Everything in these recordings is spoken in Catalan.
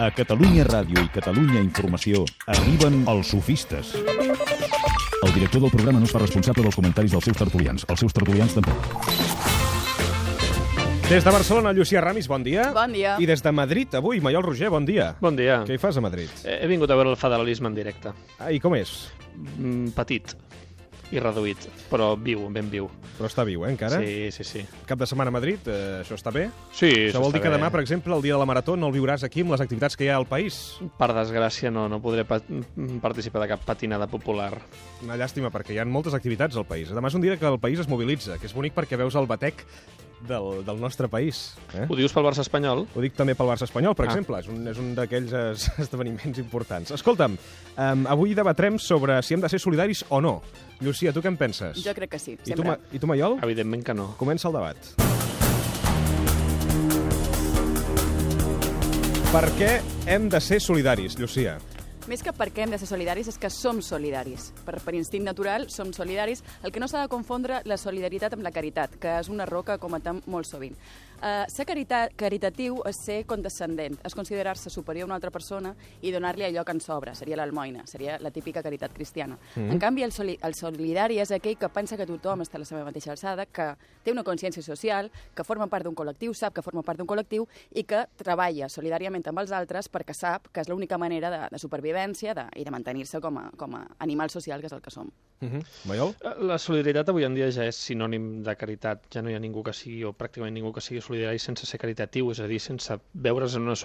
A Catalunya Ràdio i Catalunya Informació arriben els sofistes. El director del programa no es fa responsable dels comentaris dels seus tertulians. Els seus tertulians tampoc. Des de Barcelona, Llucia Ramis, bon dia. Bon dia. I des de Madrid, avui, Maiol Roger, bon dia. Bon dia. Què hi fas a Madrid? He vingut a veure el federalisme en directe. I com és? Petit i reduït, però viu, ben viu. Però està viu, encara? Sí. Cap de setmana a Madrid, això està bé? Sí, això vol dir que demà, per exemple, el dia de la Marató, no el viuràs aquí amb les activitats que hi ha al país? Per desgràcia, no podré participar de cap patinada popular. Una llàstima, perquè hi ha moltes activitats al país. Demà és un dia que el país es mobilitza, que és bonic perquè veus el batec del nostre país. Ho dius pel Barça espanyol? Ho dic també pel Barça espanyol, per exemple. És un d'aquells esdeveniments importants. Escolta'm, avui debatrem sobre si hem de ser solidaris o no. Llucia, tu què en penses? Jo crec que sí, sempre. I tu, Maiol? Evidentment que no. Comença el debat. Per què hem de ser solidaris, Llucia? Més que per què hem de ser solidaris és que som solidaris. Per instint natural som solidaris. El que no s'ha de confondre la solidaritat amb la caritat, que és un error que cometem molt sovint. Ser caritatiu és ser condescendent, és considerar-se superior a una altra persona i donar-li allò que ens sobra, seria l'almoina, seria la típica caritat cristiana. En canvi, el solidari és aquell que pensa que tothom està a la seva mateixa alçada, que té una consciència social, que forma part d'un col·lectiu, sap que forma part d'un col·lectiu i que treballa solidàriament amb els altres perquè sap que és l'única manera de supervivència i de mantenir-se com a animal social, que és el que som. Maiol? La solidaritat avui en dia ja és sinònim de caritat. Ja no hi ha ningú que sigui, o pràcticament ningú que sigui solidari sense ser caritatiu, és a dir, sense veure's en una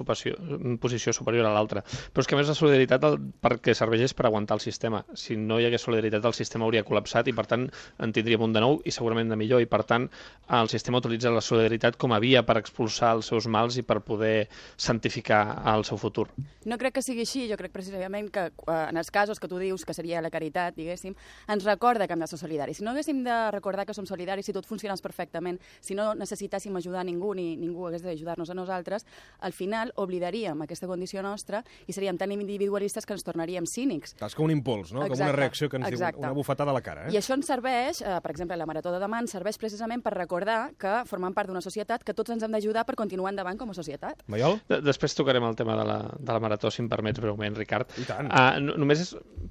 posició superior a l'altra. Però és que a més la solidaritat perquè serveix és per aguantar el sistema. Si no hi hagués solidaritat el sistema hauria col·lapsat i per tant en tindríem un de nou i segurament de millor i per tant el sistema utilitza la solidaritat com a via per expulsar els seus mals i per poder santificar el seu futur. No crec que sigui així, jo crec precisament que en els casos que tu dius que seria la caritat, diguéssim, ens recorda que hem de ser solidaris. Si no haguéssim de recordar que som solidaris, si tot funcionés perfectament, si no necessitàssim ajudar ningú ni ningú hagués d'ajudar-nos a nosaltres, al final oblidaríem aquesta condició nostra i seríem tan individualistes que ens tornaríem cínics. És com un impuls, no? Com una reacció que ens diu una bufetada a la cara. I això ens serveix, per exemple, la Marató de demà ens serveix precisament per recordar que formem part d'una societat, que tots ens hem d'ajudar per continuar endavant com a societat. Maiol? Després tocarem el tema de la Marató, si em permets breument, Ricard. I tant.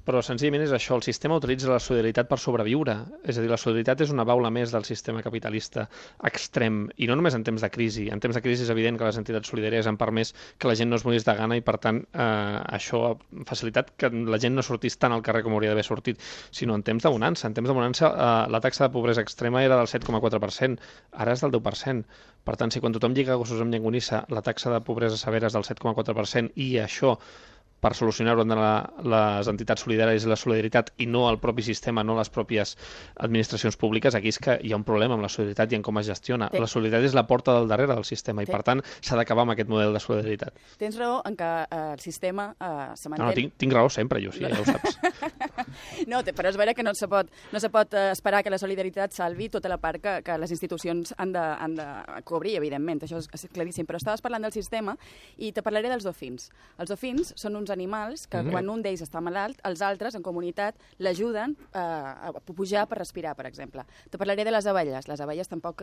Però senzillament és això, el sistema utilitza la solidaritat per sobreviure. És a dir, la solidaritat és una baula més del sistema capitalista extrem, i no només en temps de crisi. En temps de crisi és evident que les entitats solidàries han permès que la gent no es morís de gana i, per tant, això ha facilitat que la gent no sortís tant al carrer com hauria d'haver sortit, sinó en temps de bonança. En temps de bonança la taxa de pobresa extrema era del 7,4%, ara és del 10%. Per tant, si quan tothom lliga gossos amb llengonissa la taxa de pobresa severa és del 7,4% i això per solucionar-ho han d'anar les entitats solidàries i la solidaritat i no el propi sistema, no les pròpies administracions públiques, aquí és que hi ha un problema amb la solidaritat i en com es gestiona. La solidaritat és la porta del darrere del sistema i, per tant, s'ha d'acabar amb aquest model de solidaritat. Tens raó en que el sistema se manté... No, tinc raó sempre, jo, sí, ja ho saps. No, però és vera que no se pot esperar que la solidaritat salvi tota la part que les institucions han de cobrir, evidentment, això és claríssim. Però estaves parlant del sistema i te parlaré dels dofins. Els dofins són uns animals que quan un d'ells està malalt, els altres, en comunitat, l'ajuden a pujar per respirar, per exemple. Te parlaré de les abelles. Les abelles tampoc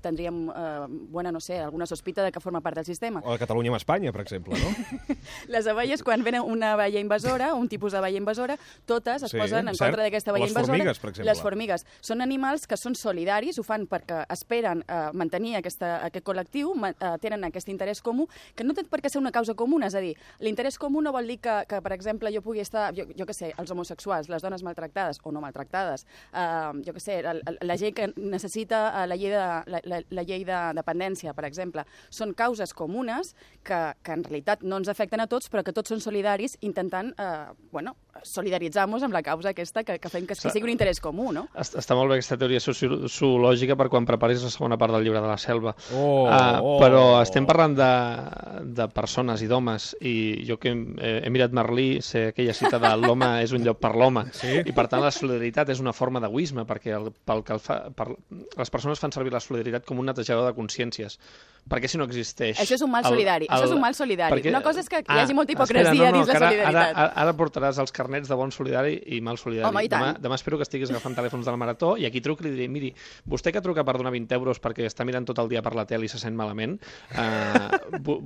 tindríem, alguna sospita de que forma part del sistema. O de Catalunya amb Espanya, per exemple, no? Les abelles, quan ven una abella invasora, un tipus d'abella invasora, totes es posen en contra d'aquesta abella invasora. Les formigues, per exemple. Les formigues. Són animals que són solidaris, ho fan perquè esperen mantenir aquest col·lectiu, tenen aquest interès comú, que no té per què ser una causa comuna, és a dir, l'interès comú no vol dir que, per exemple, jo pugui estar, jo què sé, els homosexuals, les dones maltractades o no maltractades, jo què sé, la gent que necessita la llei de dependència, per exemple, són causes comunes que en realitat no ens afecten a tots, però que tots són solidaris intentant, solidaritzar-nos amb la causa aquesta que fem que sigui un interès comú, no? Està molt bé aquesta teoria zoològica per quan preparis la segona part del llibre de la selva. Però estem parlant de persones i d'homes, i jo que he mirat Merlí, sé aquella cita de l'home és un llop per l'home, i per tant la solidaritat és una forma d'egoisme, perquè les persones fan servir la solidaritat com un netejador de consciències. perquè si no existeix... Això és un mal solidari. Això és un mal solidari. Perquè... Una cosa és que hi hagi molta hipocresia dins de solidaritat. Ara portaràs els carnets de bon solidari i mal solidari. Home, i tant. Demà espero que estiguis agafant telèfons de la Marató i aquí truco i li diré, miri, vostè que truca per donar 20 euros perquè està mirant tot el dia per la tele i se sent malament,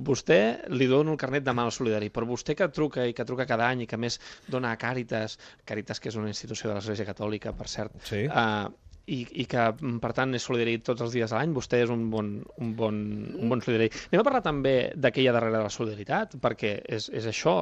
vostè li dono el carnet de mal solidari, però vostè que truca i que truca cada any i que a més dona a Càritas, que és una institució de l'Església Catòlica, per cert, sí. I que, per tant, és solidari tots els dies de l'any, vostè és un bon solidari. Anem a parlar també de què hi ha darrere de la solidaritat, perquè és això.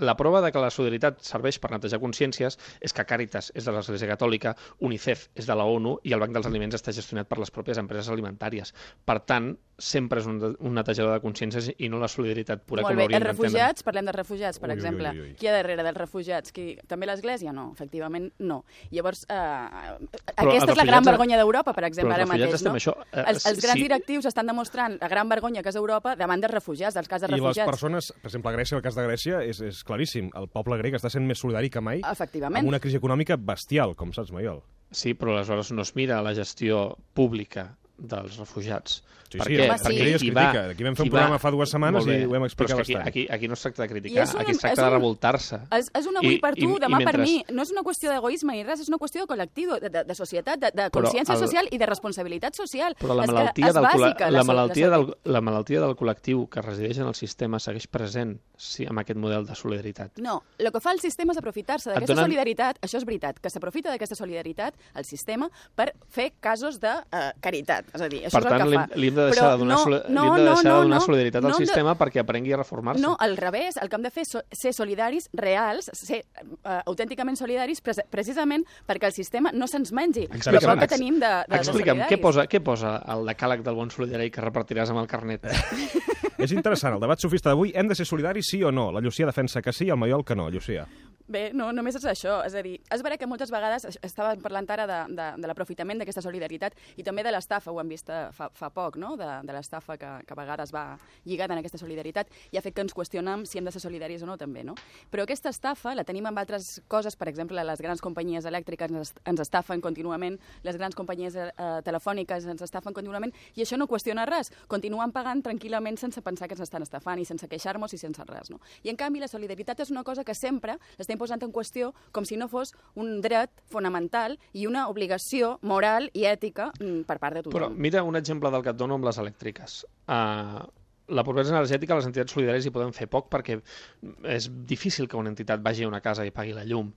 La prova de que la solidaritat serveix per netejar consciències és que Càritas és de l'Església Catòlica, UNICEF és de la ONU i el Banc dels Aliments està gestionat per les pròpies empreses alimentàries. Per tant, sempre és un netejador de consciències i no la solidaritat pura com l'hauríem d'entendre. Els refugiats, parlem de refugiats, per exemple. Qui hi ha darrere dels refugiats? També l'Església? No, efectivament no. Llavors, aquesta és la gran vergonya d'Europa, per exemple, ara mateix. Els grans directius estan demostrant la gran vergonya que és Europa davant dels refugiats, dels casos de refugiats. I les persones, per exemple, a Grècia, el cas de Grècia és claríssim. El poble grec està sent més solidari que mai amb una crisi econòmica bestial, com saps, Maiol. Sí, però aleshores no es mira la gestió pública dels refugiats. Sí, perquè ella es critica. Aquí vam fer un programa fa 2 setmanes i ho hem explicat bastant. Aquí no es tracta de criticar, aquí es tracta de revoltar-se. És un avui per tu, demà per mi. No és una qüestió d'egoisme ni res, és una qüestió de col·lectiu, de societat, de consciència social i de responsabilitat social. Però la malaltia del col·lectiu que resideix en el sistema segueix present amb aquest model de solidaritat. No, el que fa el sistema és aprofitar-se d'aquesta solidaritat, això és veritat, que s'aprofita d'aquesta solidaritat, el sistema, per fer casos de caritat. És a dir, això és el que fa. Per tant, li hem de deixar de donar solidaritat al sistema perquè aprengui a reformar-se. No, al revés, el que hem de fer és ser solidaris reals, ser autènticament solidaris precisament perquè el sistema no se'ns mengi. Explica'm, què posa el decàleg del bon solidari que repartiràs amb el carnet? És interessant, el debat sofista d'avui, hem de ser solidaris sí o no? La Llucia defensa que sí, el Maiol que no. Llucia. Bé, no, només és això. És a dir, és vera que moltes vegades estàvem parlant ara de l'aprofitament d'aquesta solidaritat i també de l'estafa, ho hem vist fa poc, no? De l'estafa que a vegades va lligada en aquesta solidaritat i ha fet que ens qüestionem si hem de ser solidaris o no, també, no? Però aquesta estafa la tenim amb altres coses, per exemple, les grans companyies elèctriques ens estafen contínuament, les grans companyies telefòniques ens estafen contínuament i això no qüestiona res. Continuen pagant tranquil·lament sense pensar que ens estan estafant i sense queixar-nos i sense res, no? I en canvi la solidaritat és una cosa que sempre l'estem posant en qüestió com si no fos un dret fonamental i una obligació moral i ètica per part de tothom. Però mira un exemple del que et dono amb les elèctriques. La pobresa energètica, les entitats solidàries hi poden fer poc perquè és difícil que una entitat vagi a una casa i pagui la llum,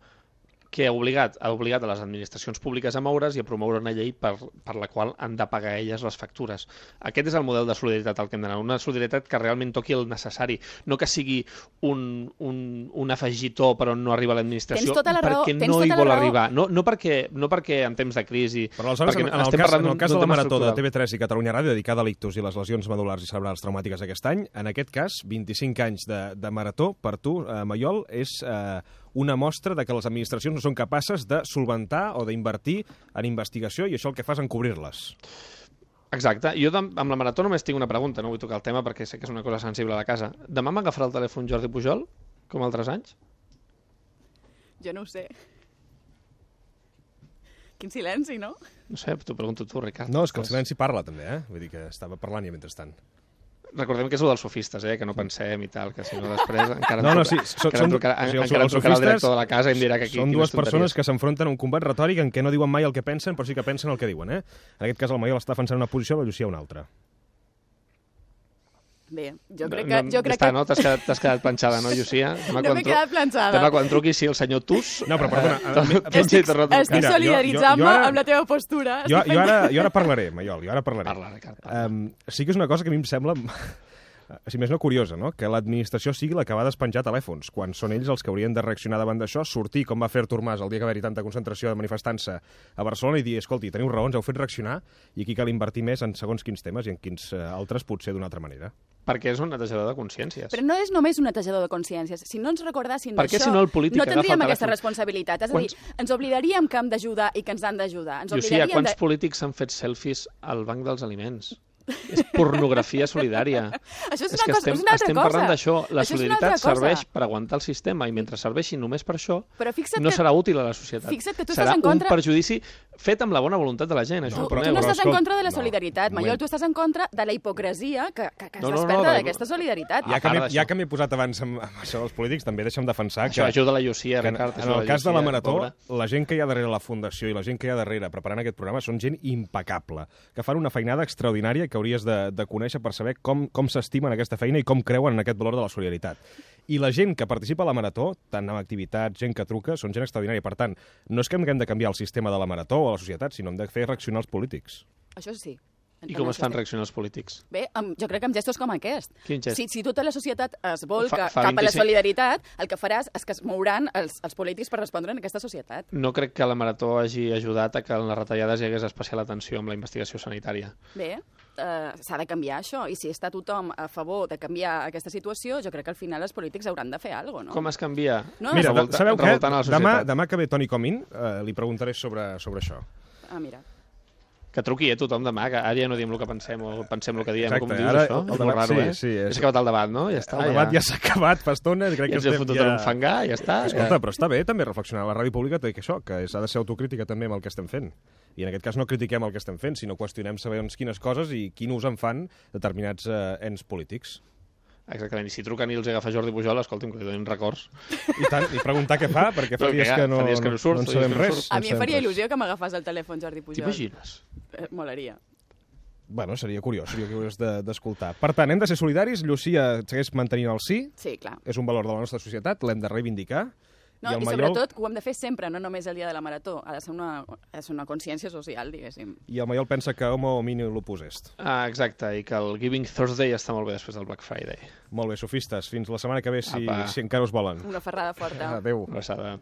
que ha obligat a les administracions públiques a moure's i a promoure una llei per la qual han de pagar elles les factures. Aquest és el model de solidaritat al que hem d'anar, una solidaritat que realment toqui el necessari, no que sigui un afegitó per on no arriba l'administració, perquè no hi vol arribar. No perquè en temps de crisi... Però aleshores, en el cas de la Marató de TV3 i Catalunya Ràdio, dedicada a l'ictus i les lesions medul·lars i cerebrals traumàtiques aquest any, en aquest cas, 25 anys de Marató, per tu, Maiol, és una mostra de que les administracions no són capaces de solventar o d'invertir en investigació i això el que fa és encobrir-les. Exacte. Jo amb la Marató només tinc una pregunta, no vull tocar el tema perquè sé que és una cosa sensible a la casa. Demà m'agafarà el telèfon Jordi Pujol, com altres anys? Jo no ho sé. Quin silenci, no? No sé, t'ho pregunto tu, Ricard. No, és que el silenci parla també, Vull dir que estava parlant ja mentrestant. Recordem que és el dels sofistes, que no pensem i tal, que si no després encara em trucarà el director de la casa i em dirà que aquí... Són dues persones que s'enfronten a un combat retòric en què no diuen mai el que pensen, però sí que pensen el que diuen, En aquest cas el Maiol està defensant una posició, la Llucia una altra. Bé, jo crec que... No, t'has quedat planxada, no, Llucia? No m'he quedat planxada. Demà quan truqui, sí, el senyor Tus... No, però perdona... Estic solidaritzant-me amb la teva postura. Jo ara parlaré, Maiol, Parla, Ricard. Sí que és una cosa que a mi em sembla... si més no curiosa, no? Que l'administració sigui la que va despenjar telèfons, quan són ells els que haurien de reaccionar davant d'això, sortir com va fer Artur Mas el dia que va haver-hi tanta concentració de manifestant-se a Barcelona i dir, escolti, teniu raons, heu fet reaccionar i aquí cal invertir més en segons quins temes i en quins altres potser d'una altra manera. Perquè és un netejador de consciències. Però no és només un netejador de consciències. Si no ens recordassin d'això, si no, no tindríem aquesta responsabilitat. És a dir, ens oblidaríem que hem d'ajudar i que ens han d'ajudar. Llucia, quants polítics han fet selfies al Banc dels Aliments? És pornografia solidària. Això és És una que cosa, és una altra estem cosa. parlant d'això. La Això és una altra solidaritat cosa. serveix per aguantar el sistema i mentre serveixi només per això, Però fixa't no que- serà útil a la societat. Fixa't que tu serà estàs en contra- un perjudici fet amb la bona voluntat de la gent, això Tu, ho tu enteneu. no però estàs en escolta, contra de la no, solidaritat, un Maiol, moment. tu estàs en contra de la hipocresia que es No, no, no, desperta de- d'aquesta solidaritat. Ja A part ja d'això. que m'he posat abans amb això dels polítics, també deixa'm defensar Això ajuda la Llucia, que Ricard. en el cas de la Marató, pobra. la gent que hi ha darrere la Fundació i la gent que hi ha darrere preparant aquest programa són gent impecable, que fan una feinada extraordinària que hauries de conèixer per saber com s'estimen aquesta feina i com creuen en aquest valor de la solidaritat. I la gent que participa a la Marató, tant en activitats, gent que truca, són gent extraordinària. Per tant, no és que hem de canviar el sistema de la Marató o la societat, sinó hem de fer reaccionar els polítics. Això sí. I com es fan reaccionar els polítics? Bé, jo crec que amb gestos com aquest. Quin gest? Si tota la societat es volca Fa cap a la 25 solidaritat, el que faràs és que es mouran els polítics per respondre en aquesta societat. No crec que la Marató hagi ajudat a que en les retallades hi hagués especial atenció amb la investigació sanitària. Bé, s'ha de canviar això, i si està tothom a favor de canviar aquesta situació, jo crec que al final els polítics hauran de fer alguna cosa, no? Com es canvia? No, Mira, sabeu què? Revoltant a la societat. Demà que ve Toni Comín, li preguntaré sobre això. Ah, mira. Que truqui tothom demà, que ara ja no diem el que pensem o pensem el que diem. Exacte, Com dius, ara això? el És debat- molt raro, sí, eh? sí, és- És acabat el debat, no? Ja està. El debat ja s'ha acabat fa estona. Crec Ja que ens hem estem fotut en un fangar, ja està. Escolta, però està bé també reflexionar. La ràdio pública té que això, que s'ha de ser autocrítica també amb el que estem fent. I en aquest cas no critiquem el que estem fent, sinó qüestionem segons quines coses i quin ús en fan determinats ens polítics. Exactament, i si truquen i els agafa Jordi Pujol, escolti'm, que li donin records. I tant, i preguntar què fa, perquè fa Però dies que que no, fa dies que no surt, no en fa dies sabem que no res. surt. A no mi en em faria sabem res. il·lusió que m'agafàs el telèfon Jordi Pujol. T'imagines? Molaria. Bueno, seria curiós d'escoltar. Per tant, hem de ser solidaris, Llucia segueix mantenint el sí, Sí, clar. és un valor de la nostra societat, l'hem de reivindicar. No, el i Maiol- sobretot que ho hem de fer sempre, no només el dia de la Marató. Ha de ser una consciència social, diguéssim. I el Maiol pensa que homo homini lupus est. Ah, exacte, i que el Giving Thursday està molt bé després del Black Friday. Molt bé, sofistes. Fins la setmana que ve, si Apa. encara us volen. Una ferrada forta. Adéu. Una abraçada.